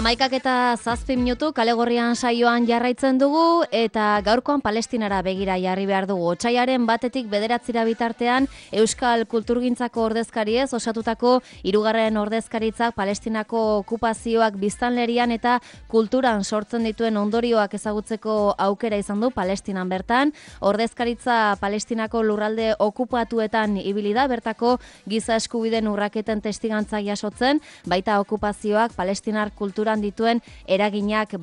11:07 kale gorrian saioan jarraitzen dugu eta gaurkoan Palestinara begira jarri behar dugu. Otsaiaren 1 bederatzira bitartean Euskal Kulturgintzako ordezkariez osatutako 3. ordezkaritzak Palestinako okupazioak biztanlerian eta kulturan sortzen dituen ondorioak ezagutzeko aukera izan du Palestinan bertan. Ordezkaritza Palestinako lurralde okupatuetan ibili da, bertako giza eskubideen urraketen testigantza jasotzen, baita okupazioak Palestinar kulturan dituen eraginak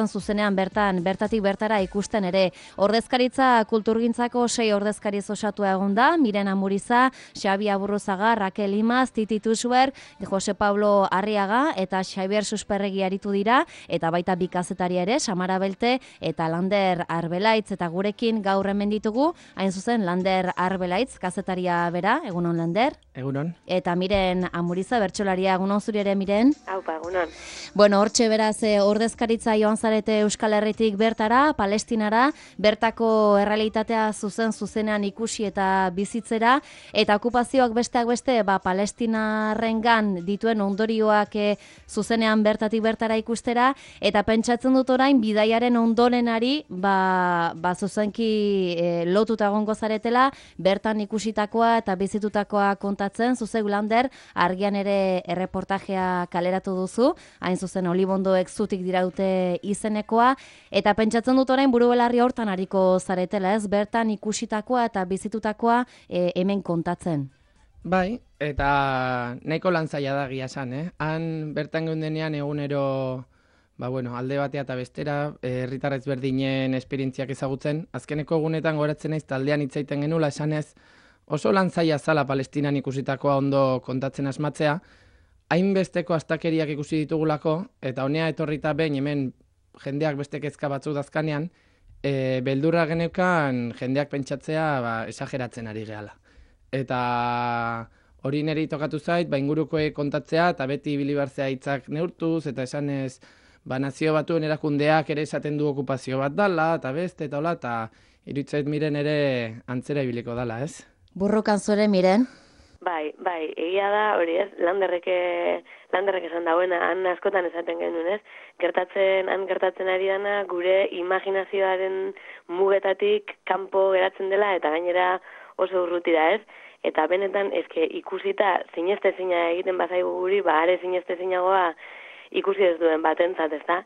zuzenean bertatik bertara ikusten ere. Ordezkaritza Kulturgintzako 6 ordezkariz osatua egon da, Miren Amuriza, Xabi Aburruzaga, Raquel Imaz, Titi Tuxber, Jose Pablo Arriaga eta Xabier Susperregi aritu dira, eta baita bi kazetari ere, Samara Belte eta Lander Arbelaitz, eta gurekin gaur hemen ditugu, hain zuzen Lander Arbelaitz, kazetaria bera, egunon Lander? Egunon. Eta Miren Amuriza, bertsolaria, egunon zuri ere Miren? Aupa, egunon. Bueno, hortxe beraz ordezkaritza joan zarete Euskal Herritik bertara, Palestinara, bertako errealitatea zuzenean ikusi eta bizitzera, eta okupazioak besteak beste, Palestinarrengan dituen ondorioak zuzenean bertatik bertara ikustera, eta pentsatzen dut orain bidaiaren ondorenari zuzenki lotuta egongo zaretela, bertan ikusitakoa eta bizitutakoa kontatzen, zuzeu Lander, argian ere erreportajea kaleratu duzu, hain zuzen Olibondoek zutik diraute izenekoa, eta pentsatzen dut orain buru belarri hortan ariko zaretela, ez? Bertan ikusitakoa eta bizitutakoa hemen kontatzen. Bai, eta nahiko lan zaila da egia esan, Han bertan geundenean egunero, alde batea eta bestera, herritarrez berdinen esperientziak ezagutzen. Azkeneko egunetan goratzen naiz taldean hitzaiten genula esanez, oso lan zaila zala Palestinan ikusitakoa ondo kontatzen asmatzea, hainbesteko astakeriak ikusi ditugulako, eta honea etorrita behin hemen jendeak beste kezka batzuk dazkanean, beldurra geneukan jendeak pentsatzea esageratzen ari gehala. Eta hori niri tokatu zait, ingurukoek kontatzea, eta beti bilibarzea hitzak neurtuz, eta esanez, nazio batuen erakundeak ere esaten du okupazio bat dala, eta beste, eta hola, eta iruditzait Miren ere antzera ibiliko dala, ez? Burrukan zure Miren? Bai, egia da, hori ez, landerrek esan dauena, han askotan esaten genuen, ez? Gertatzen ari dana, gure imaginazioaren mugetatik kanpo geratzen dela, eta gainera oso urruti da, ez? Eta benetan, ikusita zinestezina egiten bazaigu guri, are zinestezinagoa ikusi ez duen batentzat, ez da?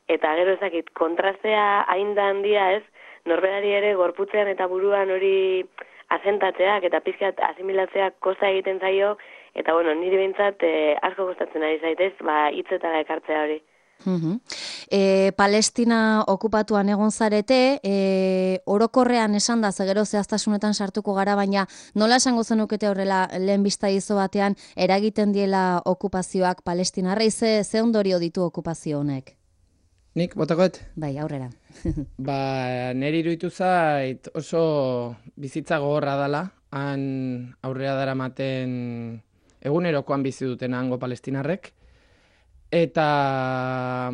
Eta gero ezakit, kontrastea hain da handia, ez? Norberari ere gorputzean eta buruan hori azentatzeak eta pizkat asimilatzeak kosta egiten zaio, eta niri behintzat asko kostatzen ari zaitez, hitzetara ekartzea hori. Palestina okupatuan egon zarete, orokorrean esan da, gero zehaztasunetan sartuko gara, baina nola esango zenukete horrela lehen bista izo batean eragiten diela okupazioak Palestinarrei, ze ondorio ditu okupazio honek? Nik, botakoet? Bai, aurrera. Neri iruditu zait oso bizitza gogorra dela, han aurrera daramaten egunerokoan bizi duten hango palestinarrek, eta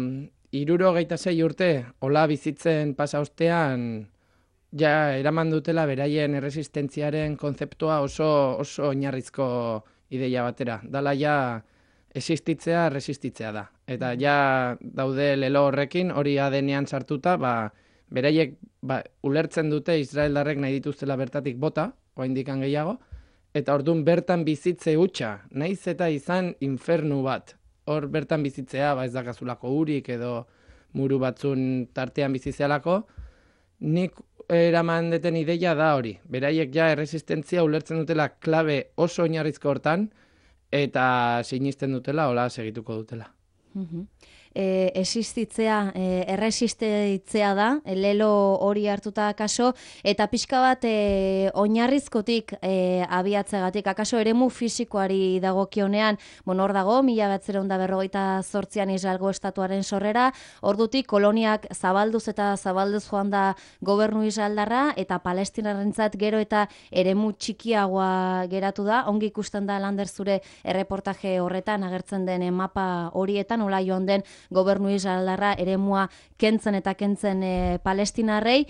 76 urte hola bizitzen pasa ostean ja eraman dutela beraien erresistentziaren konzeptua oso oinarrizko ideia batera. Dala ja existitzea, resistitzea da. Eta ja daude lelo horrekin, hori adenean sartuta, beraiek ulertzen dute Israeldarrek nahi dituztela bertatik bota, oraindikan gehiago, eta orduan bertan bizitze hutsa, naiz eta izan infernu bat. Hor bertan bizitzea, ez dakazulako urik edo muru batzun tartean bizitzealako, nik eraman deten ideia da hori. Beraiek ja erresistentzia ulertzen dutela klabe oso oinarrizko hortan, eta sinisten dutela, hola segituko dutela. Existitzea, erresistitzea da, lelo hori hartuta akaso, eta pixka bat oinarrizkotik abiatzegatik, akaso eremu fisikoari dagokionean, hor dago, 1948an Israelgo estatuaren sorrera, ordutik koloniak zabalduz joan da gobernu israeldarra, eta palestinarrentzat gero eta eremu txikiagoa geratu da, ongi ikusten da Lander zure erreportaje horretan, agertzen den mapa horietan, hola joan den gobernu israeldarra eremua kentzen eta kentzen palestinarrei.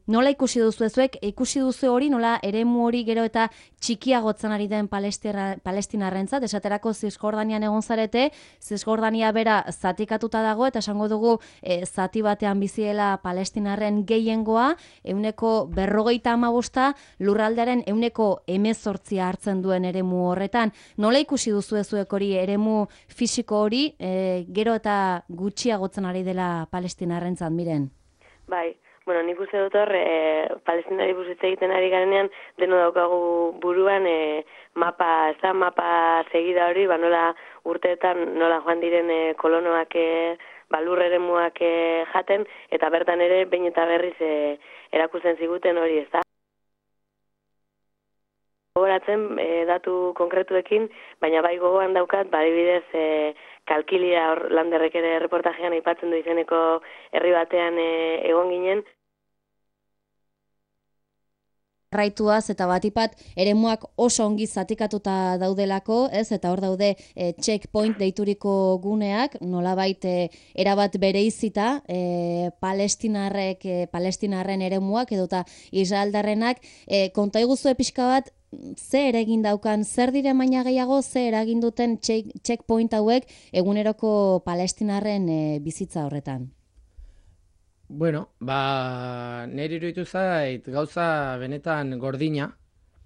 Nola ikusi duzu ezuek? Ikusi duzu hori, nola eremu hori gero eta txikiagotzen ari den palestinarrentzat, esaterako Zisjordanian egon zarete, Zisjordania bera zatikatuta dago, eta esango dugu zati batean biziela palestinarren gehiengoa, 50% lurraldearen 18% hartzen duen eremu horretan. Nola ikusi duzu ezuek hori, eremu fisiko hori, gero eta gutxiagotzen ari dela palestinarrentzat, Miren? Bai, bueno, nik uste dut hor, palestinari buruz hitz egiten ari garenean, deno daukagu buruan mapa segida hori, nola urteetan nola joan diren kolonoak lur eremuak jaten, eta bertan ere behin eta berriz erakusten ziguten hori, ez da? Gogoratzen datu konkretuekin, baina bai gogoan daukat, badibidez Kalkilia hor Landerrek ere reportajean aipatzen du izeneko herri batean egon ginen. Raituaz eta batipat eremuak oso ongi zatikatuta daudelako, ez? Eta hor daude checkpoint deituriko guneak, nolabait erabat bereizita palestinarren eremuak edota israeldarrenak. Konta iguzue pixka bat, ze eragin daukan, zer dire baina gehiago, ze eragin duten checkpoint hauek eguneroko palestinarren bizitza horretan? Bueno, niri iruditu zait gauza benetan gordina,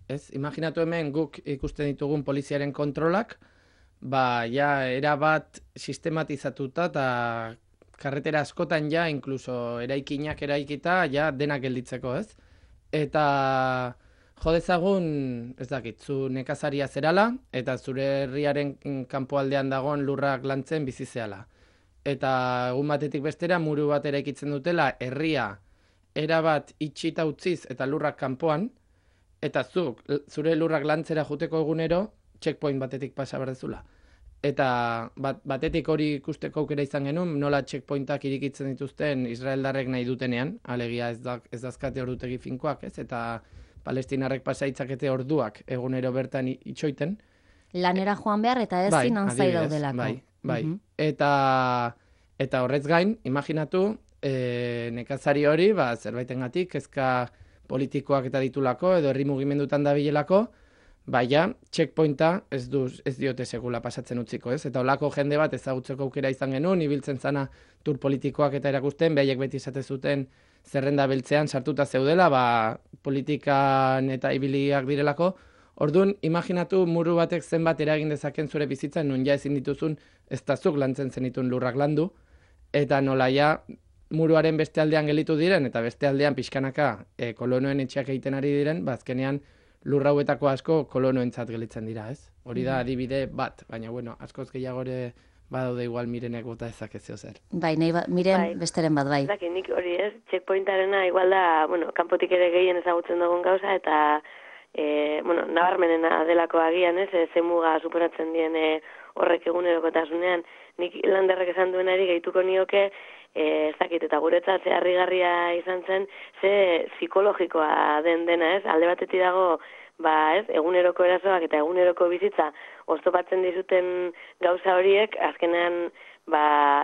ez? Imaginatu hemen guk ikusten ditugun poliziaren kontrolak, erabat sistematizatuta eta karretera askotan inkluso eraikinak eraikita, denak gelditzeko, ez? Eta jo dezagun, ez dakit, zu nekazaria zerala, eta zure herriaren kanpoaldean dagoen lurrak lantzen bizi zehala. Eta egun batetik bestera muru bat eraikitzen dutela herria erabat itxita utziz eta lurrak kanpoan, eta zure lurrak lantzera juteko egunero checkpoint batetik pasa berdezula. Eta batetik hori ikusteko aukera izan genuen, nola checkpointak irikitzen dituzten israeldarrek nahi dutenean, alegia ez dazkate ordutegi finkoak, ez? Eta palestinarrek pasaitzakete orduak egunero bertan itxoiten. Lanera joan behar eta ez finantzai daudelako. Bai. Eta horrez gain, imaginatu, nekazari hori, zerbaitengatik, kezka politikoak eta ditulako, edo herri mugimendutan dabilelako, checkpointa ez diote segula pasatzen utziko, ez? Eta holako jende bat ezagutzeko aukera izan genuen, ibiltzen zana tur politikoak eta erakusten, behaiek beti esate zuten zerrenda beltzean sartuta zeudela, politikan eta ibiliak direlako. Orduan, imaginatu muru batek zenbat eragin dezaken zure bizitzan, nun ezin dituzun ez da zuk lantzen zenitun lurrak landu, eta nola muruaren beste aldean gelitu diren, eta beste aldean pixkanaka kolonoen etxeak egiten ari diren, azkenean lurrauetako asko kolonoentzat gelitzen dira, ez? Hori da adibide bat, baina askoz gehiago ere badaude igual Mirenek bota ezakezio zer. Miren besteren bat, bai. Zaki, nik hori ez, checkpointarena igual da, kanpotik ere gehien ezagutzen dugun gauza, eta nabarmenena delako agian, ez, ze muga superatzen dien horrek egunerokotasunean. Nik Landerrek esan duenari gehituko nioke, ez dakit, eta guretzat ze harrigarria izan zen, ze psikologikoa dena, ez, alde batetik dago, ez, eguneroko erasoak eta eguneroko bizitza oztopatzen dizuten gauza horiek, azkenean,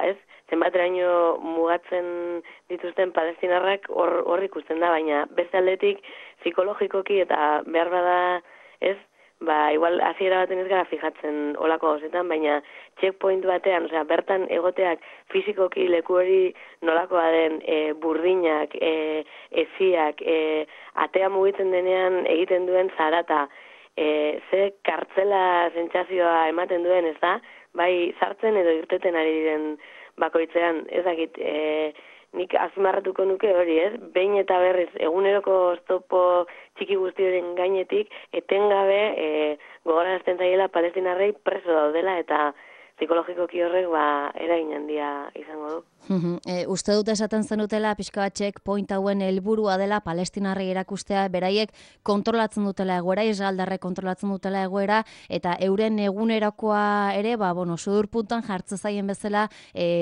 ez, zenbateraino mugatzen dituzten palestinarrak hor ikusten da, baina beste aldetik psikologikoki eta behar bada, ez, igual hasiera baten ez gara fijatzen olako gauzetan, baina checkpoint batean, bertan egoteak fizikoki leku hori nolakoa den, burdinak, eziak, atea mugitzen denean egiten duen zarata, ze kartzela sentsazioa ematen duen, ez da, bai sartzen edo irteten ari diren bakoitzean, ez dakit, nik azpimarratuko nuke hori, ez? Behin eta berriz eguneroko oztopo txiki guztioren gainetik, etengabe gogorarazten zaiela palestinarrei preso daudela eta psikologikoki horrek eragin handia izango du. Uste dut esaten zenutela pixka bat checkpoint hauen helburua dela palestinarrei erakustea, beraiek kontrolatzen dutela egoera, israeldarrek kontrolatzen dutela egoera, eta euren egunerokoa ere, sudur puntuan jartzen zaien bezala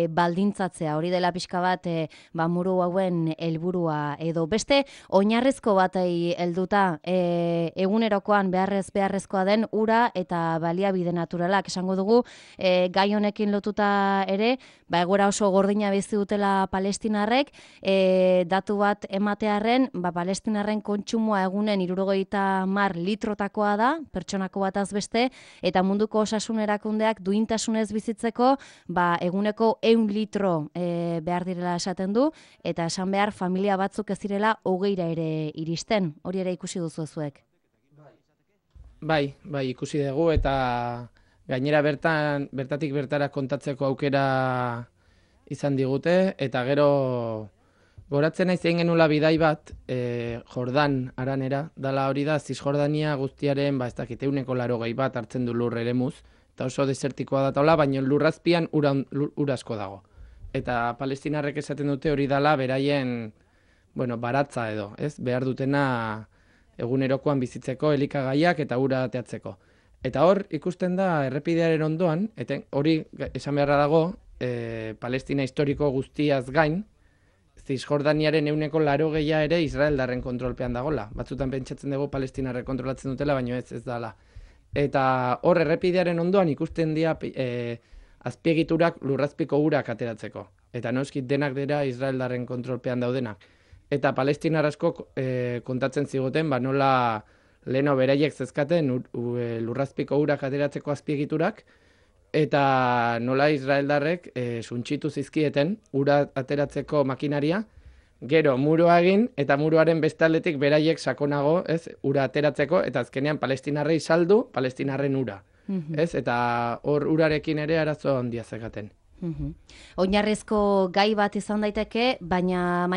baldintzatzea. Hori dela pixka bat muru hauen helburua edo. Beste, oinarrizko batei helduta egunerokoan beharrezkoa den ura eta baliabide naturalak. Esango dugu, gai honekin lotuta ere, egoera oso gordina bizi dutela palestinarrek, datu bat ematearren, palestinarren kontsumoa egunen 70 litrotakoa da, pertsonako bataz beste, eta munduko osasun erakundeak duintasunez bizitzeko, eguneko 100 litro behar direla esaten du, eta esan behar familia batzuk ez direla 20 ere iristen. Hori ere ikusi duzu zuek. Bai, ikusi dugu, eta gainera bertatik bertara kontatzeko aukera izan digute, eta gero goratzen naiz egin genula bidai bat, Jordan aranera, dala hori da, Zisjordania guztiaren, ez dakit, 80 bat hartzen du lur eremuz, eta oso desertikoa da taula, baina lurrazpian ur asko dago. Eta palestinarrek esaten dute hori dala beraien, baratza edo, ez? Behar dutena egunerokoan bizitzeko, elikagaiak eta ura ateatzeko. Eta hor, ikusten da errepidearen ondoan, eta hori esan beharra dago, Palestina historiko guztiaz gain, Zisjordaniaren 80% ere Israeldarren kontrolpean dagola. Batzutan pentsatzen dugu palestinarrek kontrolatzen dutela, baina ez dala. Eta hor errepidearen ondoan ikusten dira azpiegiturak lurrazpiko urak ateratzeko. Eta noski denak dira Israeldarren kontrolpean daudenak. Eta palestinar asko kontatzen ziguten, nola leheno beraiek zezkaten lurrazpiko urak ateratzeko azpiegiturak, eta nola Israeldarrek suntsitu zizkieten ura ateratzeko makinaria, gero muroa egin, eta muroaren bestaldetik beraiek sakonago, ura ateratzeko, eta azkenean palestinarrei saldu, palestinarren ura. Eta hor urarekin ere arazo handia zekaten. Oinarrizko gai bat izan daiteke, baina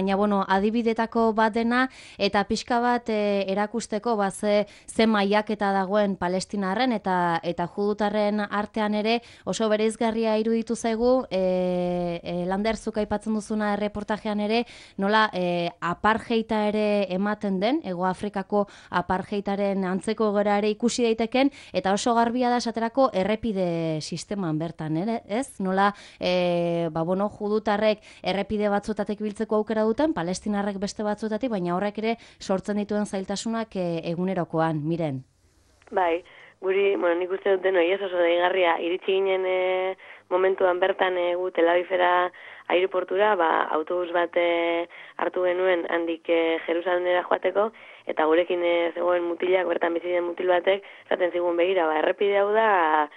adibidetako bat dena, eta pixka bat erakusteko ze mailaketa dagoen palestinarren eta judutarren artean ere oso bereizgarria iruditu zaigu, Lander, zuk aipatzen duzuna erreportajean ere, nola apartheida ere ematen den, Hego Afrikako apartheidaren antzeko egoera ere ikusi daiteken, eta oso garbia da esaterako errepide sisteman bertan, ez? Nola judutarrek errepide batzuetatik biltzeko aukera duten, palestinarrek beste batzuetatik, baina horrek ere sortzen dituen zailtasunak egunerokoan, Miren. Bai, guri, nik uste dut denoi oso deigarria, iritsi ginen momentuan bertan gu Tel Avivera aireportura, autobus bat hartu genuen handik Jerusalemera joateko, eta gurekin zegoen mutilak, bertan bizi den mutil batek, esaten zigun begira, errepide hau da,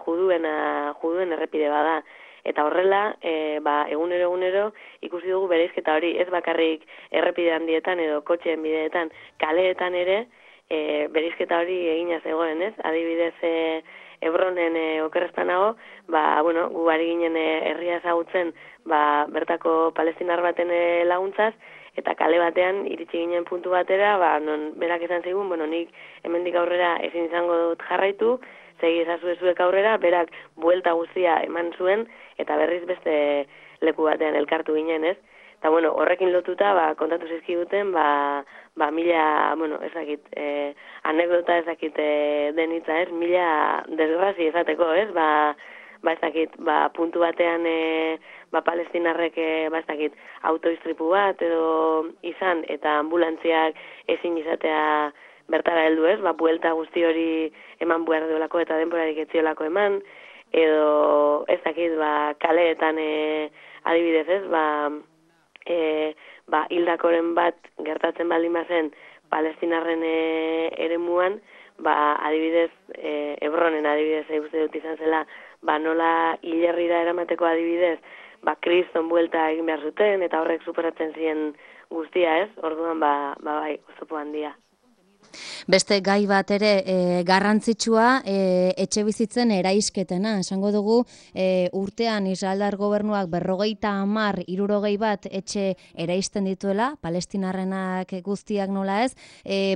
juduen errepide bada. Eta horrela, egunero ikusi dugu bereizketa hori, ez bakarrik errepide handietan edo kotxeen bideetan, kaleetan ere, bereizketa hori egina zegoen, ez? Adibidez, Hebronen okerrezpanago, gu ari ginen herria ezagutzen, bertako palestinar baten laguntzaz, eta kale batean iritsi ginen puntu batera, non berak esan zigun, nik hemendik aurrera ezin izango dut jarraitu, segi ezazuezuek aurrera, berak buelta guztia eman zuen, eta berriz beste leku batean elkartu ginen, ez? Eta, horrekin lotuta, kontatu zizkiguten, mila, ezakit, anekdota ezakit denitza, ez? Mila desgrazi ezateko, ez? Ezakit, puntu batean, palestinarrek, ezakit, autoistripu bat edo izan, eta ambulantziak ezin izatea bertara heldu, ez? Buelta guzti hori eman behar duelako eta denborarik etziolako eman, edo ezakit, kaleetan adibidez, ez? Hildakoren bat gertatzen baldin bazen palestinarren eremuan, adibidez, Hebronen adibidez, uste dut izan zela, nola hilerrira eramateko adibidez, kriston buelta egin behar zuten, eta horrek superatzen ziren guztia, ez? Orduan, oztopo handia. Beste gai bat ere garrantzitsua etxe bizitzen eraisketena. Esango dugu urtean Israeldar gobernuak 50, 60 bat etxe eraisten dituela, palestinarrenak guztiak nola ez,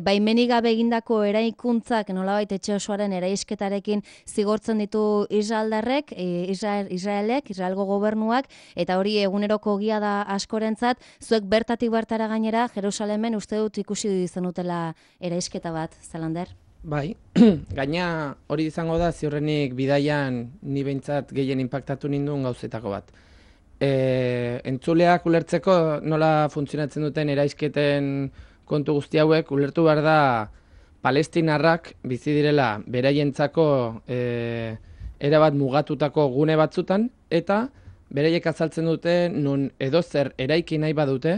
baimenik gabe egindako eraikuntzak nolabait etxe osoaren eraisketarekin zigortzen ditu Israeldarrek, Israelgo gobernuak, eta hori eguneroko ogia da askorentzat. Zuek bertatik bertara gainera Jerusalemen uste dut ikusi zenutela eraisketa bat, Zalander? Bai, gaina hori izango da ziurrenik bidaian ni behintzat gehien inpaktatu ninduen gauzetako bat. Entzuleak ulertzeko nola funtzionatzen duten eraisketen kontu guzti hauek, ulertu behar da palestinarrak bizi direla beraientzako erabat mugatutako gune batzutan, eta beraiek azaltzen dute nun edozer eraiki nahi badute,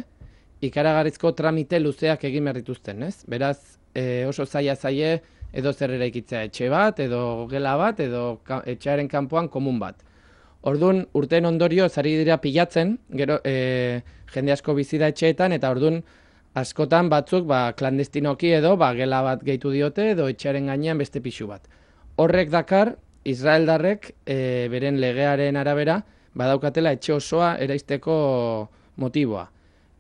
ikaragarrizko tramite luzeak egin behar dituzten, ez? Beraz, oso zaie edozer eraikitzea etxe bat, edo gela bat, edo etxearen kanpoan komun bat. Orduan, urteen ondorio zari dira pilatzen, gero jende asko bizi da etxeetan, eta orduan askotan batzuk klandestinoki edo gela bat gehitu diote, edo etxearen gainean beste pixu bat. Horrek dakar, israeldarrek beren legearen arabera, badaukatela etxe osoa eraisteko motiboa.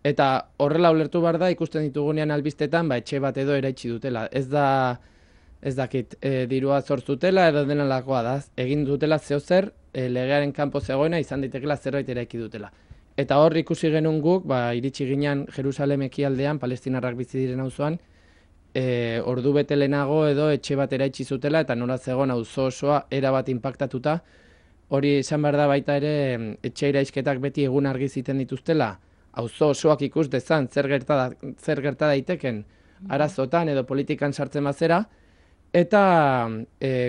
Eta horrela ulertu behar da, ikusten ditugunean albistetan, etxe bat edo eraitsi dutela. Ez dakit, dirua zortzutela edo denalakoa da. Egin dutela zeozer, legearen kanpo zegoena izan daitekela zerbait eraiki dutela. Eta hor ikusi genuen guk, iritsi ginen Jerusalem ekialdean, palestinarrak bizi diren auzoan, ordu bete lehenago edo etxe bat eraitsi zutela, eta nola zegoen auzo osoa erabat inpaktatuta. Hori izan behar da baita ere, etxe iraisketak beti egun argi ziten dituztela, auzo osoak ikus dezan zer gerta daiteken arazotan edo politikan sartzen bazera, eta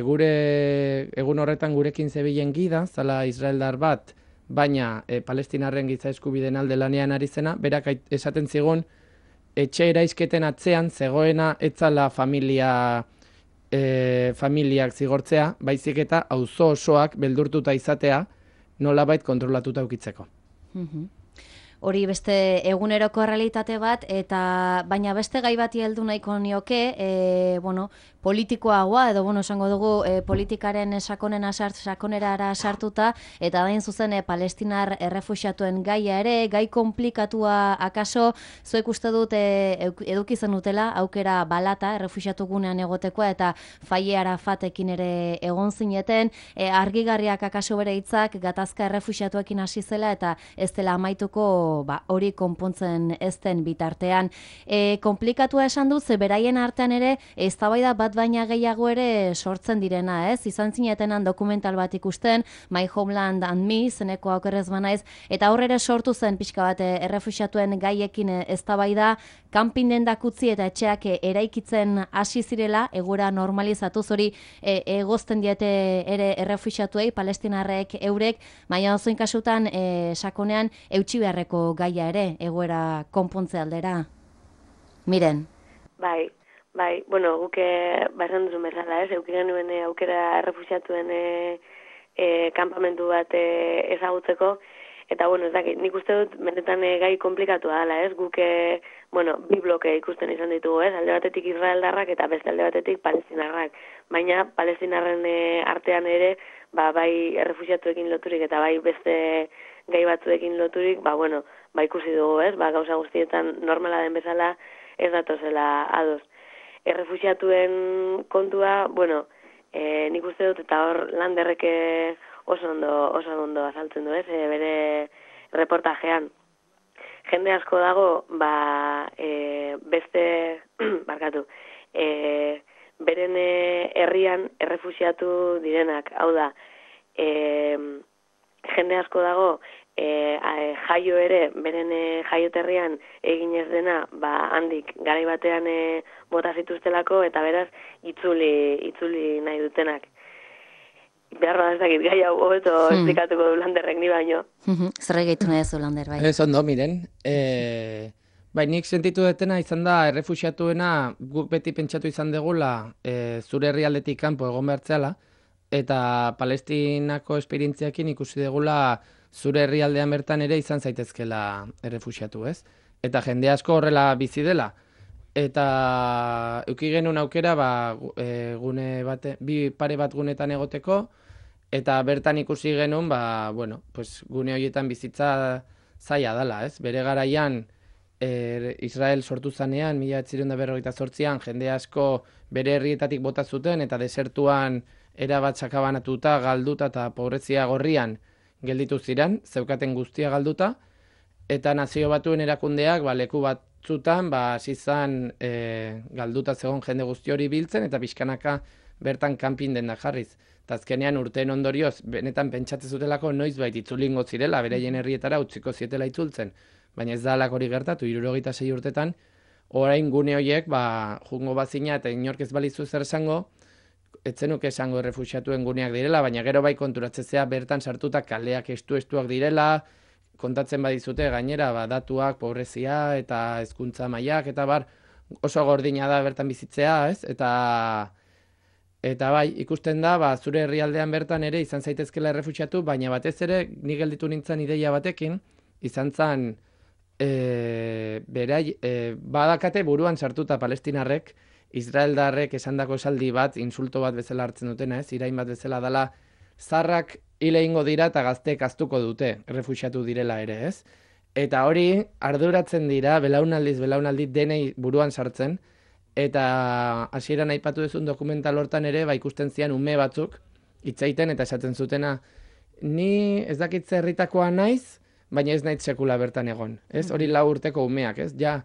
gure egun horretan gurekin zebilen gida, zala israeldar bat, baina palestinarren giza eskubideen alde lanean ari zena, berak esaten zigun, etxe eraisketen atzean zegoena etzala familiak zigortzea, baizik eta auzo osoak beldurtuta izatea nolabait kontrolatuta ukitzeko. Hori beste eguneroko errealitate bat, eta baina beste gai bati heldu nahiko nioke, politikoagoa, edo esango dugu politikaren sakonerara sartuta, eta dain zuzen palestinar errefuxiatuen gaia ere, gai komplikatua akaso, zuek uste dut eduki zen dutela, aukera balata errefuxiatu gunean egotekoa, eta Faye Arafatekin ere egon zineten, argigarriak akaso bere hitzak gatazka errefuxiatuekin hasi zela, eta ez dela amaituko hori konpontzen ez den bitartean. Komplikatua esan dut, ze beraien artean ere, eztabaida bat baina gehiago ere sortzen direna, ez? Izan zinetenan dokumental bat ikusten, My Homeland and Me, zeneko aukerrez banaiz, eta horre sortu zen pixka bat errefuxiatuen gaiekin eztabaida, kanpin dendak utzi eta etxeak eraikitzen hasi zirela, egura normalizatuz hori egozten diete ere errefuxiatuei, palestinarrek eurek, baina ozoin kasutan sakonean eutsi beharreko gaia ere, egoera konpontze aldera. Miren? Bai, guke esan duzun bezala, eukiren nuen aukera errefuxiatuen kanpamentu bat ezagutzeko, eta ez dakit, nik uste dut benetan gai komplikatua dela, guke, bi bloke ikusten izan ditugu, alde batetik israeldarrak eta beste alde batetik palestinarrak, baina palestinarren artean ere, bai errefuxiatuekin loturik eta bai beste gai batzuekin loturik, ikusi dugu, gauza guztietan normala den bezala ez datozela ados. Errefuxiatuen kontua, nik uste dut eta hor Landerrek oso ondo azaltzen du, bere reportajean. Jende asko dago, beste, beren herrian errefuxiatu direnak, hau da, jende asko dago, jaio ere, beren jaioterrian egin ez dena, handik garai batean bota zituztelako, eta beraz, itzuli nahi dutenak. Beharra ez dakit, gai hau hobeto esplikatuko du Landerrek ni baino. Zer egiten nahi zu, Lander, bai? Ez ondo, miren. Nik sentitu detena izan da, errefuxiatuena guk beti pentsatu izan degula zure herrialdetik kanpo egon behartzeala, eta Palestinako esperientziakin ikusi degula zure herrialdean bertan ere izan zaitezkela errefuxiatu, ez? Eta jende asko horrela bizi dela. Eta euki genuen aukera gune bate, bi pare bat gunetan egoteko, eta bertan ikusi genuen gune horietan bizitza zaila dela, ez? Bere garaian Israel sortu zanean, 1948an, jende asko bere herrietatik bota zuten, eta desertuan erabat sakabanatuta, galduta eta pobrezia gorrian gelditu ziren, zeukaten guztia galduta, eta Nazio Batuen erakundeak leku batzutan hasi zan galduta zegoen jende guzti hori biltzen, eta pixkanaka bertan kanpin dendak jarriz. Eta azkenean urteen ondorioz, benetan pentsatzen zutelako noizbait itzulingo zirela, beraien herrietara utziko zietela itzultzen. Baina ez da alako hori gertatu, 76 urtetan, orain gune horiek, jungo bazina eta inork ez balizu zer esango, etzenuke esango errefuxiatuen guneak direla, baina gero bai konturatzea bertan sartuta kaleak estuak direla, kontatzen badizute gainera datuak, pobrezia eta hezkuntza mailak eta bar oso gordina da bertan bizitzea, ez? Eta bai, ikusten da, zure herrialdean bertan ere izan zaitezkela errefuxiatu, baina batez ere ni gelditu nintzen ideia batekin, izan zen badakate buruan sartuta palestinarrek, israeldarrek esandako esaldi bat, insulto bat bezala hartzen dutena, ez? Irain bat bezala dela, zarrak hile egingo dira eta gazteek aztuko dute, errefuxiatu direla ere, ez? Eta hori arduratzen dira, belaunaldi denei buruan sartzen, eta hasieran aipatu duzun dokumental hortan ere, ikusten zian ume batzuk, hitzaiten eta esaten zutena, ni ez dakitze herritakoa naiz, baina ez naiz sekula bertan egon, ez? Hori 4 urteko umeak, ez? Ja,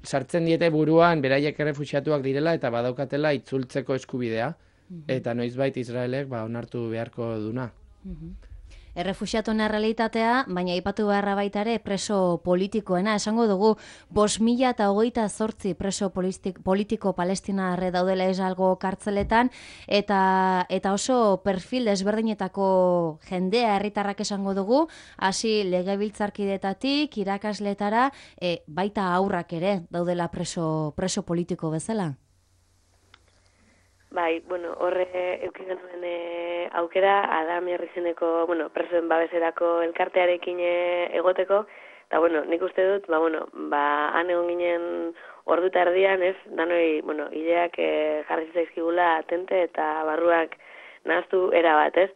sartzen diete buruan, beraiek errefuxiatuak direla eta badaukatela itzultzeko eskubidea, eta noizbait Israelek onartu beharko duna. Errefuxiatuen errealitatea, baina aipatu beharra baita ere preso politikoena. Esango dugu, 5.028 preso politiko palestinarre daudela esalgo kartzeletan, eta oso perfil desberdinetako jendea herritarrak esango dugu, hasi legebiltzarkidetatik, irakasletara, baita haurrak ere daudela preso politiko bezala. Bai, horre euki genuen aukera, Adam Herrizeneko, presoen babeserako elkartearekin egoteko, eta nik uste dut, han egon ginen ordu eta erdian, ez, danoi, ideak jarri zaizkigula atente eta barruak nahaztu erabat, ez?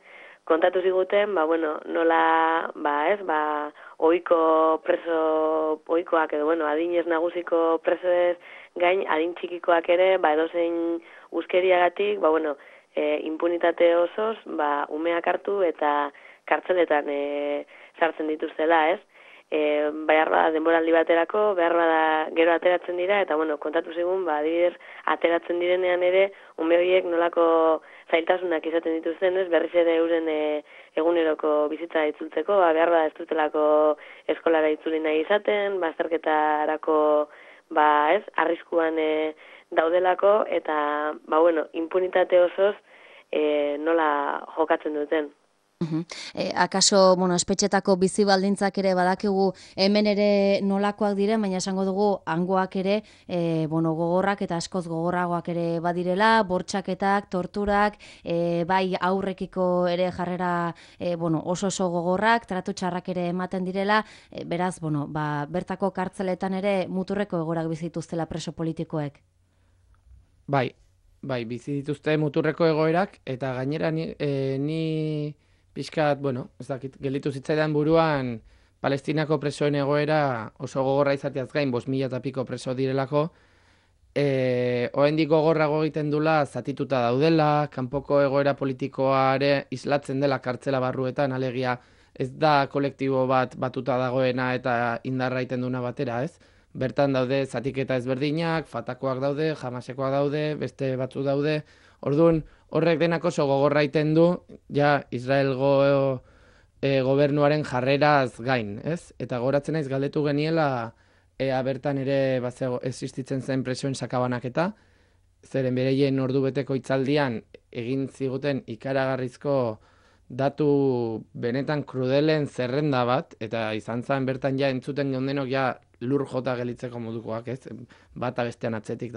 Kontatu ziguten, nola, ohikoak edo, adinez nagusiko presoez gain, adin txikikoak ere, edozein uskeriagatik, impunitate osoz, umeak hartu eta kartzeletan sartzen dituztela, ez? Behar bada denboraldi baterako, behar bada gero ateratzen dira, eta kontatu zigun, adibidez, ateratzen direnean ere, ume horiek nolako zailtasunak izaten dituzten, ez? Berriz ere euren eguneroko bizitza itzultzeko, behar bada ez dutelako eskolara itzuli nahi izaten, azterketarako, arriskuan daudelako, eta, impunitate osoz nola jokatzen duten. Akaso, espetxetako bizi baldintzak ere badakigu hemen ere nolakoak diren, baina esango dugu hangoak ere gogorrak eta askoz gogorragoak ere badirela, bortxaketak, torturak, bai aurrekiko ere jarrera oso gogorrak, tratu txarrak ere ematen direla, beraz, bertako kartzeletan ere muturreko egorak bizituztela preso politikoek. Bai, bizi dituzte muturreko egoerak, eta gainera ni pixkat, ez dakit, gelditu zitzaidan buruan Palestinako presoen egoera oso gogorra izateaz gain, 5.000 eta piko preso direlako, oraindik gogorrago egiten dula zatituta daudela, kanpoko egoera politikoare islatzen dela kartzela barruetan, alegia ez da kolektibo bat batuta dagoena eta indarra egiten duna batera, ez? Bertan daude zatiketa ezberdinak, Fatakoak daude, Hamasekoak daude, beste batzu daude. Orduan, horrek denak oso gogorra egiten du, Israelgo gobernuaren jarreraz gain, ez? Eta goratzen naiz galdetu geniela, bertan ere existitzen zen presoen sakabanaketa, zeren bereien ordubeteko hitzaldian egin ziguten ikaragarrizko datu benetan krudelen zerrenda bat, eta izan zen bertan entzuten geundenok lur jota gelitzeko modukoak, ez? Bata bestean atzetik.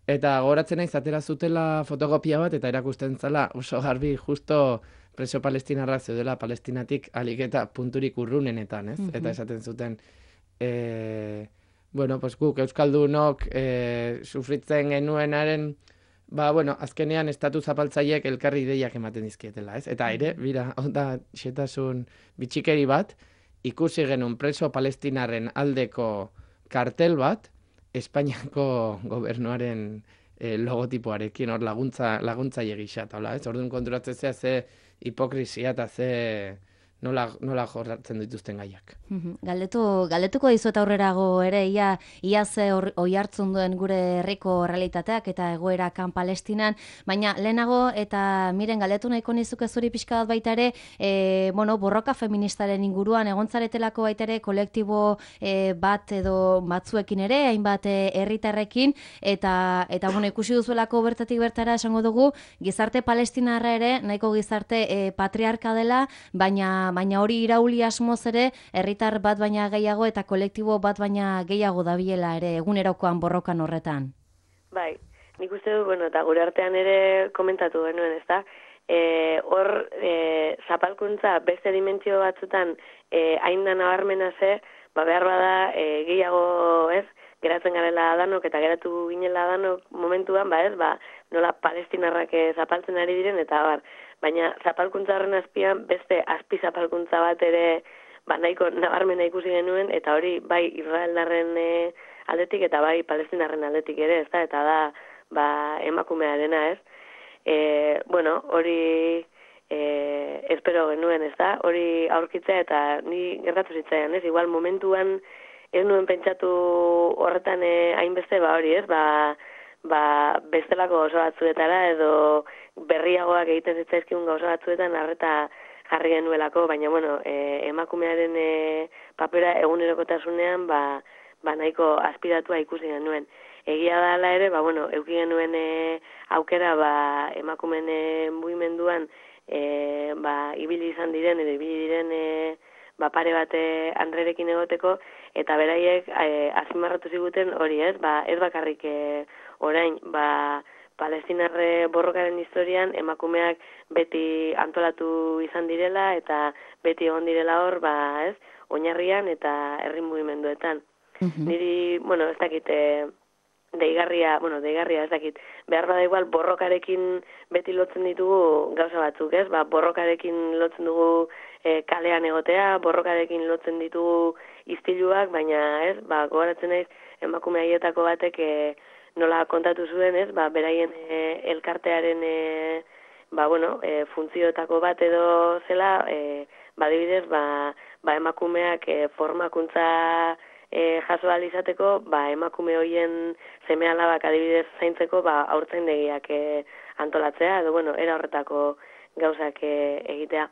Eta goratzen naiz atera zutela fotokopia bat, eta erakusten zela oso garbi justo preso palestinarrak zeudela Palestinatik alik eta punturik urrunenetan, ez? Eta esaten zuten, guk euskaldunok sufritzen genuenaren, azkenean estatu zapaltzaileek elkarri ideiak ematen dizkietela, ez? Eta ere, da xetasun bitxikeri bat, ikusi genuen preso palestinarren aldeko kartel bat, Espainiako gobernuaren logotipoarekin, hor laguntzaile gisa, ez? Orduan konturatzea ze hipokrizia eta ze nola jorratzen dituzten gaiak. Galdetuko dizuet aurrerago ere, ia ze oihartzun duen gure herriko realitateak eta egoerakan Palestinan, baina lehenago eta miren galdetu nahiko nizuke zuri pixka bat baita ere, borroka feministaren inguruan egontzaretelako baita ere kolektibo bat edo batzuekin ere, hainbat herritarrekin, eta ikusi duzuelako bertatik bertara esango dugu, gizarte palestinarra ere, nahiko gizarte patriarka dela, baina hori irauli asmoz ere, herritar bat baina gehiago eta kolektibo bat baina gehiago dabilela ere egunerokoan borrokan horretan. Bai, nik uste du, eta gure artean ere komentatu genuen, ezta? Hor, zapalkuntza beste dimentsio batzutan hain da nabarmena ze, behar bada gehiago, ez? Geratzen garela danok eta geratu ginela danok momentuan, nola palestinarrak zapaltzen ari diren, eta baina zapalkuntza horren azpian beste azpi zapalkuntza bat ere nahiko nabarmena ikusi genuen, eta hori bai Israeldarren aldetik eta bai palestinarren aldetik ere, ezta? Eta da emakumearena, ez? Hori espero genuen, ezta? Hori aurkitzea eta ni gertatu zitzaian, ez? Igual momentuan ez nuen pentsatu horretan hainbeste, hori, ez? Bestelako gauza batzuetara edo berriagoak egiten zitzaizkigun gauza batzuetan arreta jarri genuelako, baina emakumearen papera egunerokotasunean nahiko aspiratua ikusi genuen. Egia da ala ere, eduki genuen aukera emakumeen mugimenduan ibili izan diren edo ibili diren pare bate Andrerekin egoteko, eta beraiek azpimarratu ziguten hori, ez? Ez bakarrik orain, palestinarre borrokaren historian emakumeak beti antolatu izan direla eta beti egon direla hor, ez? Oinarrian eta herri mugimenduetan. Niri, ez dakit, deigarria ez dakit, behar bada igual borrokarekin beti lotzen ditugu gauza batzuk, ez? Borrokarekin lotzen dugu kalean egotea, borrokarekin lotzen ditugu istiluak, baina, ez? Gogoratzen naiz emakume haietako batek nola kontatu zuen, ez? Beraien elkartearen funtzioetako bat edo zela, adibidez, emakumeak formakuntza jaso ahal izateko, emakume hoien seme-alabak adibidez zaintzeko, haurtzaindegiak antolatzea, edo, era horretako gauzak egitea.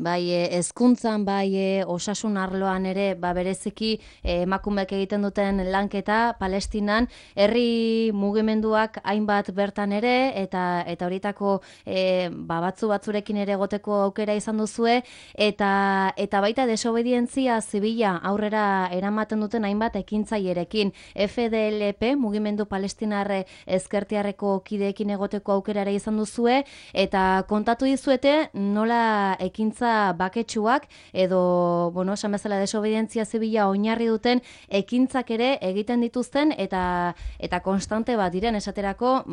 Bai, hezkuntzan, bai, osasun arloan ere, bereziki emakumeek egiten duten lanketa Palestinan, herri mugimenduak hainbat bertan ere, eta horietako batzurekin ere egoteko aukera izan duzue, eta baita desobedientzia zibila aurrera eramaten duten hainbat ekintzailerekin. FDLP, mugimendu palestinarre ezkertiarreko kideekin egoteko aukera ere izan duzue, eta kontatu dizuete nola ekintza baketsuak edo, esan bezala desobedientzia zibila oinarri duten ekintzak ere egiten dituzten eta konstante bat diren esaterako,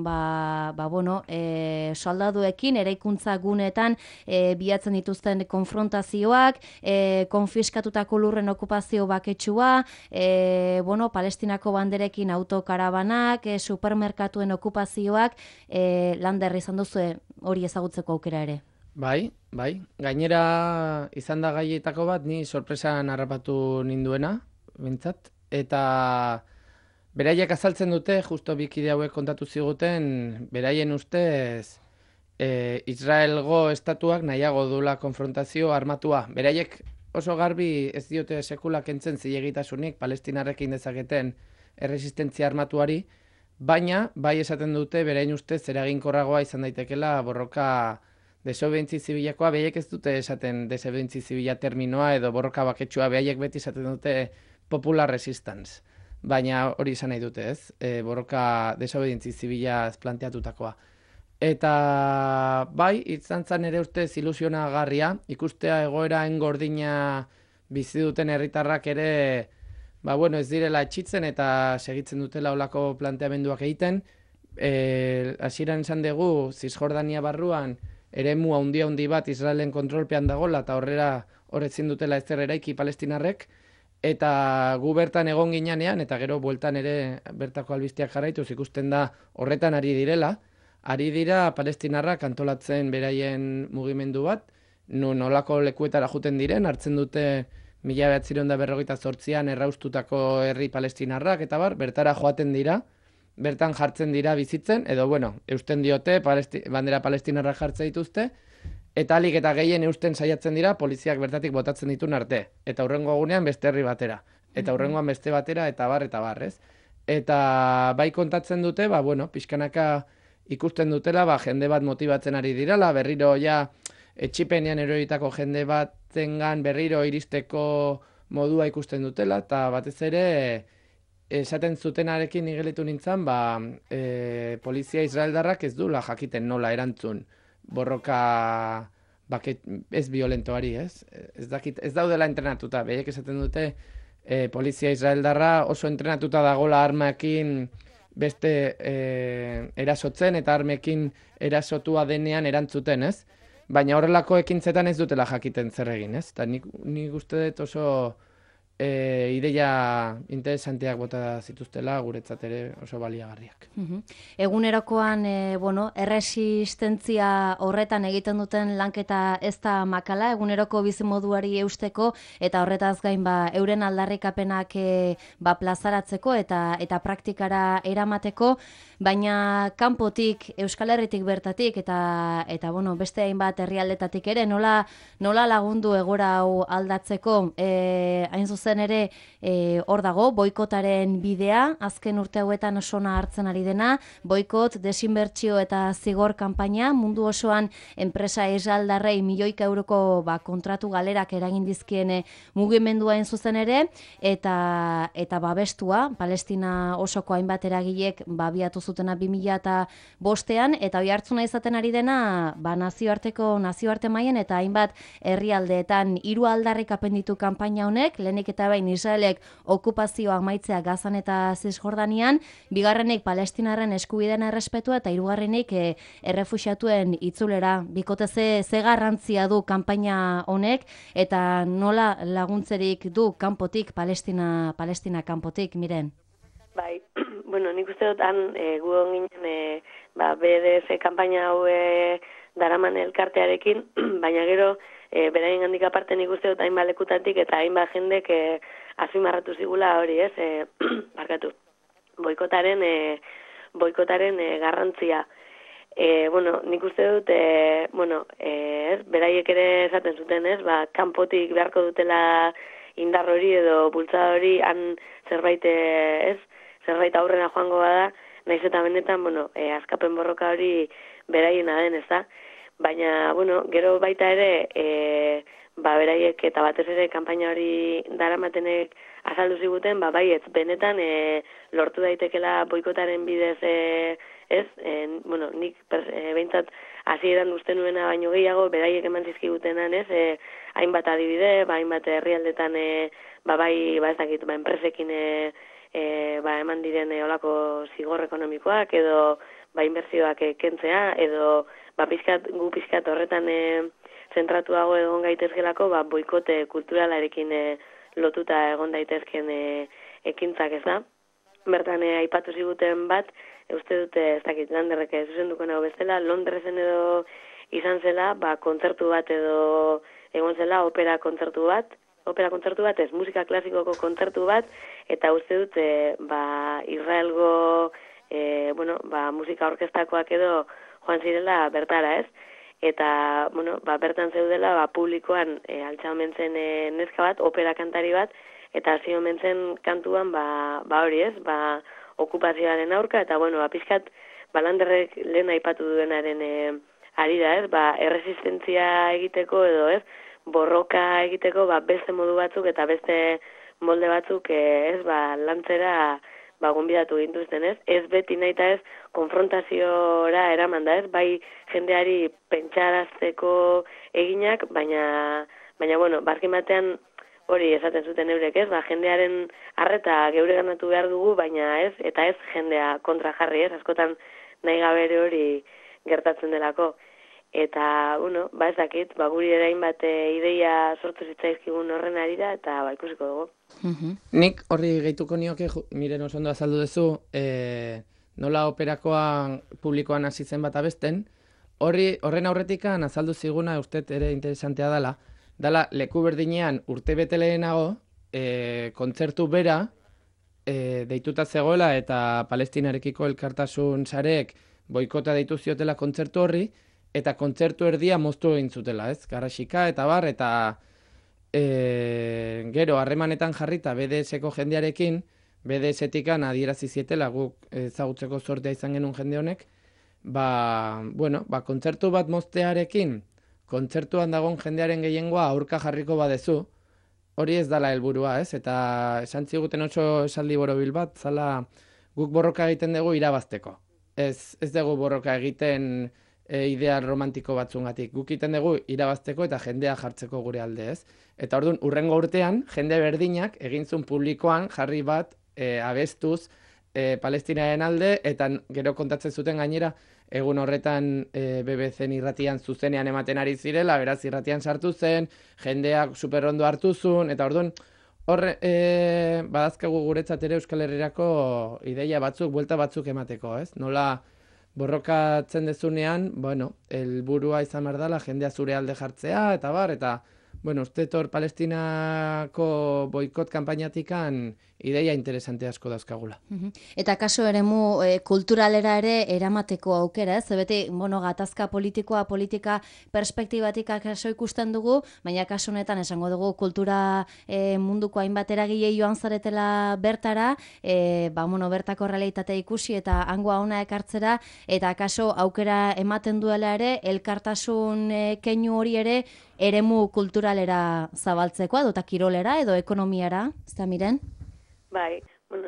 soldaduekin eraikuntza guneetan bilatzen dituzten konfrontazioak, konfiskatutako lurren okupazio baketsua, Palestinako banderekin autokarabanak, supermerkatuen okupazioak, Lander izan duzu hori ezagutzeko aukera ere. Bai. Gainera izan da gaietako bat, ni sorpresan harrapatu ninduena, bintzat. Eta beraiek azaltzen dute, justo bikide hauek kontatu ziguten, beraien ustez Israelgo estatuak nahiago dula konfrontazio armatua. Beraiek oso garbi ez diote sekula kentzen zilegitasunik palestinarrekin dezaketen erresistentzia armatuari, baina bai esaten dute beraien ustez eraginkorragoa izan daitekela borroka desobedientzi zibilakoa, behaiek ez dute esaten desobedientzi zibila terminoa edo borroka baketsua, behaiek beti esaten dute popular resistance. Baina hori izan nahi dute, ez? Borroka desobedientzi zibila planteatutakoa. Eta bai, izan zan ere ustez ilusionagarria, ikustea egoera engordina bizi duten herritarrak ere, ez direla etxitzen eta segitzen dutela olako planteamenduak egiten. Hasieran esan dugu, Cisjordania barruan, eremu handi bat Israelen kontrolpean dagoela eta horretzin dutela ezer eraiki palestinarrek, eta gu bertan egon ginean, eta gero bueltan ere bertako albisteak jarraituz ikusten da horretan ari direla, ari dira palestinarrak antolatzen beraien mugimendu bat, nolako lekuetara juten diren, hartzen dute 1948an erraustutako herri palestinarrak eta bertara joaten dira, bertan jartzen dira bizitzen, edo eusten diote, bandera palestinarra jartzen dituzte, eta alik eta gehien eusten saiatzen dira, poliziak bertatik botatzen ditun arte. Eta hurrengo egunean beste herri batera. Eta hurrengoan beste batera, eta bar, ez? Eta bai kontatzen dute, pixkanaka ikusten dutela, jende bat motibatzen ari dirala, berriro etxipenean eroitako jende batengan berriro iristeko modua ikusten dutela, eta batez ere, esaten zutenarekin igeletu nintzen, polizia israeldarrak ez duela jakiten nola erantzun borroka ez violentoari, ez? Ez daudela entrenatuta, behiek esaten dute polizia israeldarra oso entrenatuta dagola armekin beste erasotzen eta armekin erasotua denean erantzuten, ez? Baina horrelako ekintzetan ez dutela jakiten zer egin, ez? Eta nik uste dut oso ideia interesanteak bota zituztela, guretzat ere oso baliagarriak. Egunerokoan, erresistentzia horretan egiten duten lanketa ez da makala, eguneroko bizimoduari eusteko, eta horretaz gain euren aldarrikapenak plazaratzeko eta praktikara eramateko, baina kanpotik, Euskal Herritik bertatik, eta beste hainbat herrialdetatik ere, nola lagundu egora hau aldatzeko, hain zuzen ere hor dago, boikotaren bidea, azken urte hauetan osona hartzen ari dena, boikot, desinbertsio eta zigor kanpaina, mundu osoan enpresa israeldarrei milioika euroko kontratu galerak eragin dizkien mugimendua hain zuzen ere, eta babestua, Palestina osoko hainbat eragilek abiatu zutena 2005an, eta hoi hartzuna izaten ari dena nazioarte mailan eta hainbat herrialdeetan 3 aldarrikapen ditu kanpaina honek, lehenik eta bain Israelek okupazioa amaitzea Gazan eta Zisjordanian, bigarrenik Palestinarren eskubideen errespetua eta hirugarrenik errefuxiatuen itzulera. Bikote ze garrantzia du kanpaina honek eta nola laguntzerik du kanpotik, Palestina kanpotik, Miren? Bai, nik uste dut gu ginen BDS kanpaina hau daraman elkartearekin, baina gero beraien handik aparte nik uste dut hainbat lekutatik eta hainbat jendek azpimarratu zigula hori, ez? Barkatu. Boikotaren garrantzia. Nik uste dut, beraiek ere esaten zuten, ez? Kanpotik beharko dutela indar hori edo bultzada hori han zerbait aurrera joango bada, naiz eta benetan, askapen borroka hori beraiena den, ez da? Baina, gero baita ere, beraiek eta batez ere kanpaina hori daramatenek azaldu ziguten, baietz, benetan lortu daitekela boikotaren bidez, nik behintzat hasieran uste nuena baino gehiago, beraiek eman zizkigutenan, hainbat adibide, hainbat herrialdetan, ez dakit, enpresekin eman diren olako zigor ekonomikoak, edo inbertsioak kentzea, edo gu pizkat horretan zentratuago egon gaitezkelako, boikote kulturalarekin lotuta egon daitezken ekintzak, ez da? Bertan aipatu ziguten bat, uste dute, ez dakit, Landerrek zuzenduko nago bestela, Londresen edo izan zela, kontzertu bat edo egon zela, opera kontzertu bat, ez, musika klasikoko kontzertu bat, eta uste dute, Israelgo, musika orkestakoak edo joan zirela bertara, ez? Eta, bertan zeudela, publikoan altza omentzen neska bat, opera kantari bat, eta hasi omentzen kantuan, hori, ez? Okupazioaren aurka, eta, pizkat, Landerrek lehen aipatu duenaren ari da, ez? Erresistentzia egiteko edo, ez? Borroka egiteko, beste modu batzuk eta beste molde batzuk, ez? Lantzera gonbidatu gintuzten, ez? Ez beti nahi eta ez konfrontaziora eraman da, ez? Bai jendeari pentsarazteko eginak, baina bazkin batean hori esaten zuten eurek, ez? Jendearen arreta geure ganatu behar dugu, baina ez, eta ez jendea kontra jarri, ez? Askotan nahi gabere hori gertatzen delako. Eta, ez dakit, guri ere hainbat ideia sortu zitzaizkigun horren arira, eta ikusiko dugu. Nik horri gehituko nioke, Miren oso ondo azaldu duzu, nola operakoan publikoan hasi zen bat abesten, Horren aurretikan azaldu ziguna, uste ere interesantea dala leku berdinean urte bete lehenago, kontzertu bera, deituta zegoela eta Palestinarekiko elkartasun sarek boikota deitu ziotela kontzertu horri, eta kontzertu erdia moztu egin zutela, ez? Garrasika eta bar, eta gero harremanetan jarrita BDS-eko jendearekin, BDS-etikan adierazi zietela guk ezagutzeko sortea izan genuen jende honek, kontzertu bat moztearekin, kontzertuan dagoen jendearen gehiengoa aurka jarriko badezu, hori ez dala helburua, ez? Eta esan ziguten oso esaldi borobil bat, zala guk borroka egiten dugu irabazteko. Ez dugu borroka egiten ideal romantiko batzungatik. Guk egiten dugu irabazteko eta jendea jartzeko gure alde, ez? Eta orduan, urrengo urtean, jende berdinak egintzun publikoan jarri bat abestuz Palestinaren alde, eta gero kontatzen zuten gainera, egun horretan BBC-en irratian zuzenean ematen ari zirela, beraz irratian sartu zen, jendeak superrondo hartu zuen, eta orduan, badazkagu guretzat ere Euskal Herrirako ideia batzuk, buelta batzuk emateko, ez? Nola borrokatzen dezunean, helburua izan behar dela, jendea zure alde jartzea, eta bar, eta, uste hor Palestinako boikot kanpainatikan ideia interesante asko dauzkagula. Eta kaso eremu kulturalera ere eramateko aukera, ez? Beti, gatazka politika perspektibatik kaso ikusten dugu, baina kaso honetan esango dugu kultura munduko hainbat eragile joan zaretela bertara, bertako realitatea ikusi eta hangoa ona ekartzera, eta kaso aukera ematen duela ere, elkartasun keinu hori ere eremu kulturalera zabaltzeko, edo eta kirolera, edo ekonomiara, ez da miren? Bai,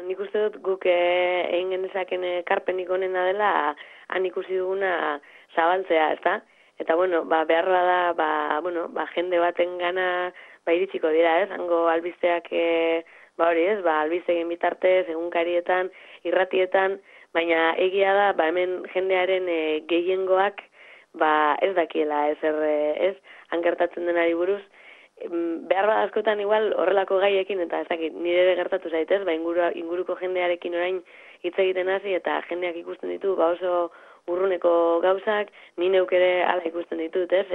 nik uste dut guk egin genezaken ekarpenik onena dela han ikusi duguna zabaltzea, ezta? Eta behar da, jende baten gana iritsiko dira, ez? Hango albisteak, albistegin bitartez, egunkarietan, irratietan, baina egia da, hemen jendearen gehiengoak, ez dakiela, ez? Han gertatzen denari buruz, behar bat askotan igual horrelako gaiekin, eta ez dakit, nire ere gertatu zaitez, inguruko jendearekin orain hitz egiten hasi, eta jendeak ikusten ditu, oso urruneko gauzak, ni neuk ere ala ikusten ditut, ez,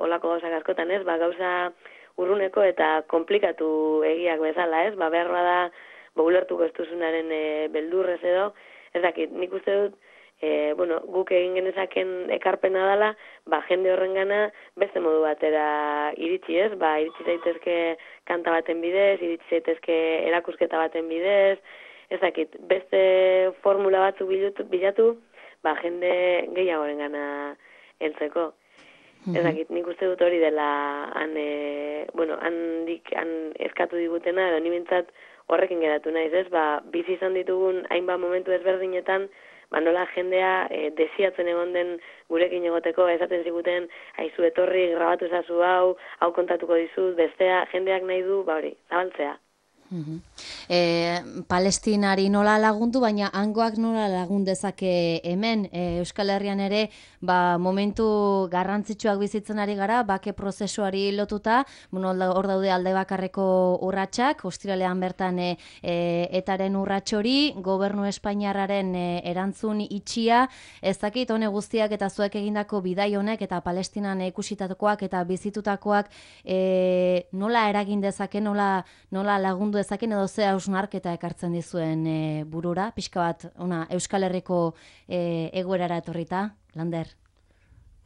olako gauzak askotan, ez, gauza urruneko eta komplikatu egiak bezala, ez, behar bada, ulertuko ez duzunaren beldurrez edo, ez dakit, nik uste dut, guk egin genezaken ekarpena dela, jende horrengana beste modu batera iritsi, ez? Iritsi zaitezke kanta baten bidez, iritsi zaitezke erakusketa baten bidez, ez dakit, beste formula batzuk bilatu, jende gehiagorengana heltzeko. Ez dakit, nik uste dut hori dela han eskatu digutena, edo ni bintzat horrekin geratu naiz, ez? Bizi izan ditugun hainbat momentu ezberdinetan, nola jendea desiatzen egon den gurekin egoteko, esaten ziguten, aizu etorri, grabatu ezazu hau kontatuko dizut, bestea, jendeak nahi du, zabaltzea. Palestinari nola lagundu, baina hangoak nola lagun dezake hemen. Euskal Herrian ere momentu garrantzitsuak bizitzen ari gara, bake prozesuari lotuta, hor daude alde bakarreko urratsak, ostiralean bertan etaren urratxori, gobernu espainiarraren erantzun itxia, ez dakit hone guztiak eta zuek egindako bidai honek eta Palestinan ikusitakoak eta bizitutakoak nola eragin dezake, nola lagundu dezaken edo ze hausnarketa ekartzen dizuen burura, pixka bat Euskal Herriko egoerara etorrita, Lander?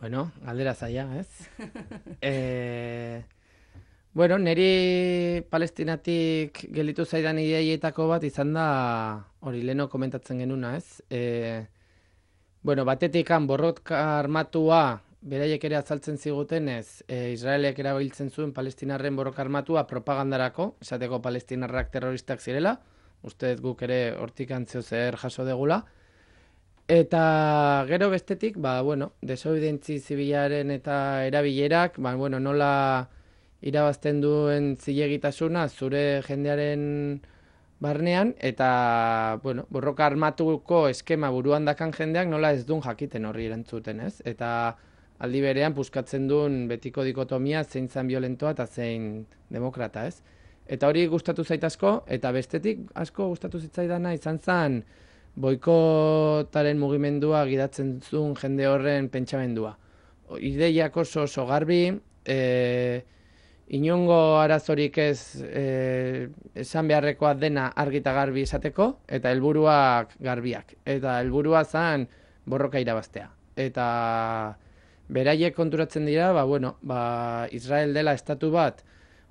Galdera zaila, ez? Neri Palestinatik gelditu zaidan ideietako bat izan da, hori leheno komentatzen genuna, ez? Batetikan borroka armatua beraiek ere azaltzen zigutenez, Israelek erabiltzen zuen palestinarren borroka armatua propagandarako, esateko palestinarrak terroristak zirela, uste guk ere hortik antzio zer jaso degula, eta gero bestetik, desobedientzi zibilaren eta erabilerak, nola irabazten duen zilegitasuna zure jendearen barnean, eta borroka armatuko eskema buruan dakan jendeak nola ez duen jakiten horri erantzuten, ez? Eta aldi berean puskatzen duen betiko dikotomia zein zan violentoa eta zein demokrata, ez? Eta hori gustatu zait asko, eta bestetik asko gustatu zitzaidana izan zen boikotaren mugimendua gidatzen zuen jende horren pentsamendua. ideiak oso garbi, inongo arazorik ez esan beharrekoa dena argi eta garbi esateko, eta helburuak garbiak. Eta helburua zen borroka irabaztea. Eta beraiek konturatzen dira, Israel dela estatu bat,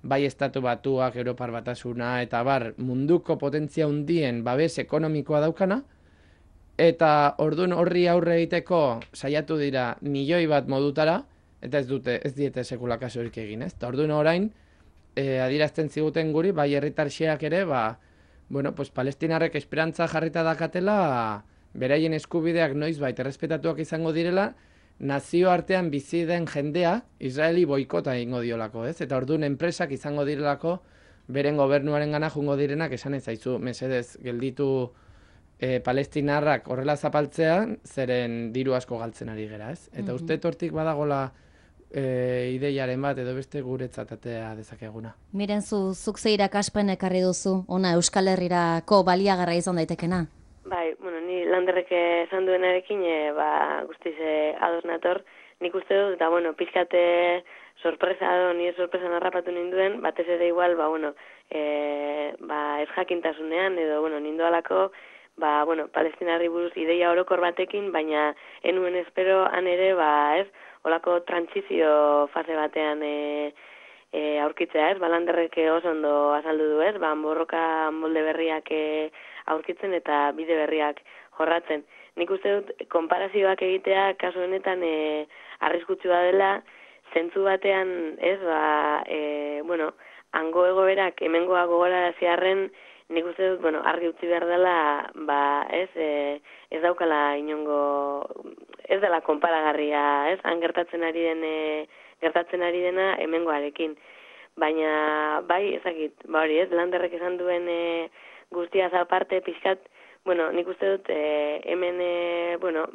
bai estatu batuak, Europar Batasuna, eta munduko potentzia handien babes ekonomikoa daukana, eta ordun horri aurre egiteko saiatu dira milioi bat modutara, eta ez diete sekula kasurik egin, ez? Eta ordun orain, adierazten ziguten guri, bai herritar xeak ere, palestinarrek esperantza jarrita dakatela, beraien eskubideak noizbait errespetatuak izango direla, nazio artean bizi den jendea Israeli boikota egingo diolako, ez? Eta ordun enpresak izango direlako beren gobernuaren gana jungo direnak esan ezaizu, mesedez, gelditu palestinarrak horrela zapaltzean, zeren diru asko galtzen ari gera, ez? Eta uste hortik badagola ideiaren bat edo beste guretzat atea dezakeguna. Miren, zuk ze irakaspen ekarri duzu, ona Euskal Herrirako baliagarra izan daitekena? Bai, ni Landerrek esan duenarekin guztiz ados nator. Nik uste dut, eta pizkate sorpresa nire sorpresan harrapatu ninduen, batez ere igual, ez jakintasunean, edo, nindoalako, palestinarri buruz ideia orokor batekin, baina enuen espero han ere, olako trantsizio fase batean aurkitzea, ez? Landerrek oso ondo azaldu du, ez? Borroka molde berriak aurkitzen eta bide berriak jorratzen. Nik uste dut, konparazioak egitea, kasu honetan, arriskutsua dela, zentzu batean, ez, hango egoerak, hemengoa gogoraraziarren, nik uste dut, argi utzi behar dela, ez daukala inongo, ez dela konparagarria, ez, han gertatzen ari dena hemengoarekin. Baina, ezakit, hori, ez, Landerrek esan duen guztiaz aparte, pixkat, nik uste dut, hemen,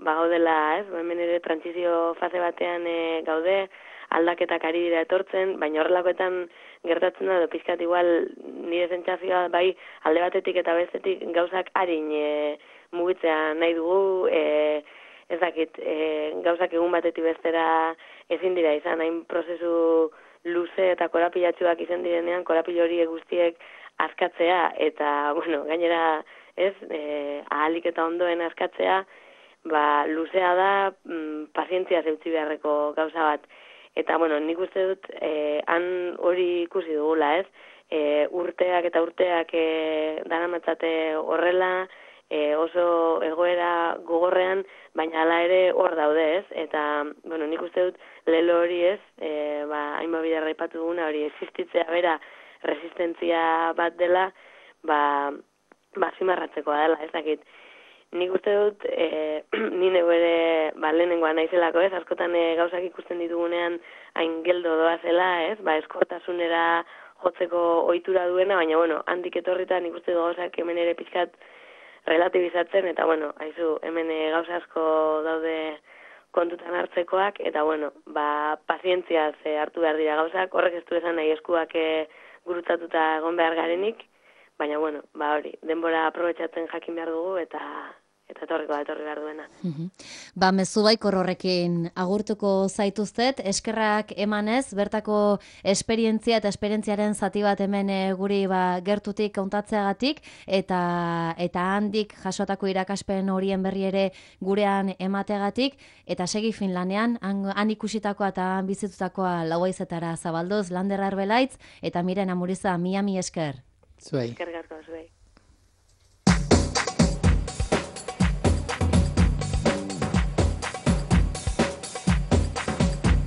gaudela, ez, hemen ere trantsizio fase batean gaude, aldaketak ari dira etortzen, baina horrelakoetan gertatzen da, pixkat igual nire sentsazioa bai alde batetik eta bestetik gauzak harin mugitzea nahi dugu, ez dakit, gauzak egun batetik bestera ezin dira izan, hain prozesu luze eta korapilatsuak izan direnean, korapilo horiek guztiek askatzea, eta, gainera, ez, ahalik eta ondoen askatzea, luzea da, pazientzia zeutzi beharreko gauza bat. Eta, nik uste dut, han hori ikusi dugula, ez? Urteak eta urteak daramatzate horrela, oso egoera gogorrean, baina hala ere hor daude, ez? Eta, nik uste dut, lelo hori ez, hainbat biderra ipatu duguna, hori existitzea bera, resistentzia bat dela, zimarratzekoa dela, ez dakit. Nik uste dut, nire ere lehenengoa naizelako, ez, askotan gauzak ikusten ditugunean hain geldo doazela, ez, eskortasunera jotzeko ohitura duena, baina, handik etorrita nik uste dut gauzak hemen ere pixkat relatibizatzen, eta, haizu, hemen gauza asko daude kontutan hartzekoak, eta, pazientziaz hartu behar dira gauzak, horrek ez du esan nahi eskuak gurutzatuta egon behar garenik, baina, hori, denbora aprobetxatzen jakin behar dugu, eta etorri behar duena. Mezu baikor horrekin agurtuko zaituztet, eskerrak emanez, bertako esperientzia eta esperientziaren zati bat hemen guri gertutik kontatzeagatik, eta handik jasotako irakaspen horien berri ere gurean emateagatik, eta segi Finlandean, han ikusitakoa eta han bizitutakoa Lauhaizetara zabaldoz, Lander Arbelaitz, eta Miren Amuriza, mi esker. Zuei. Eskerrik asko zuei.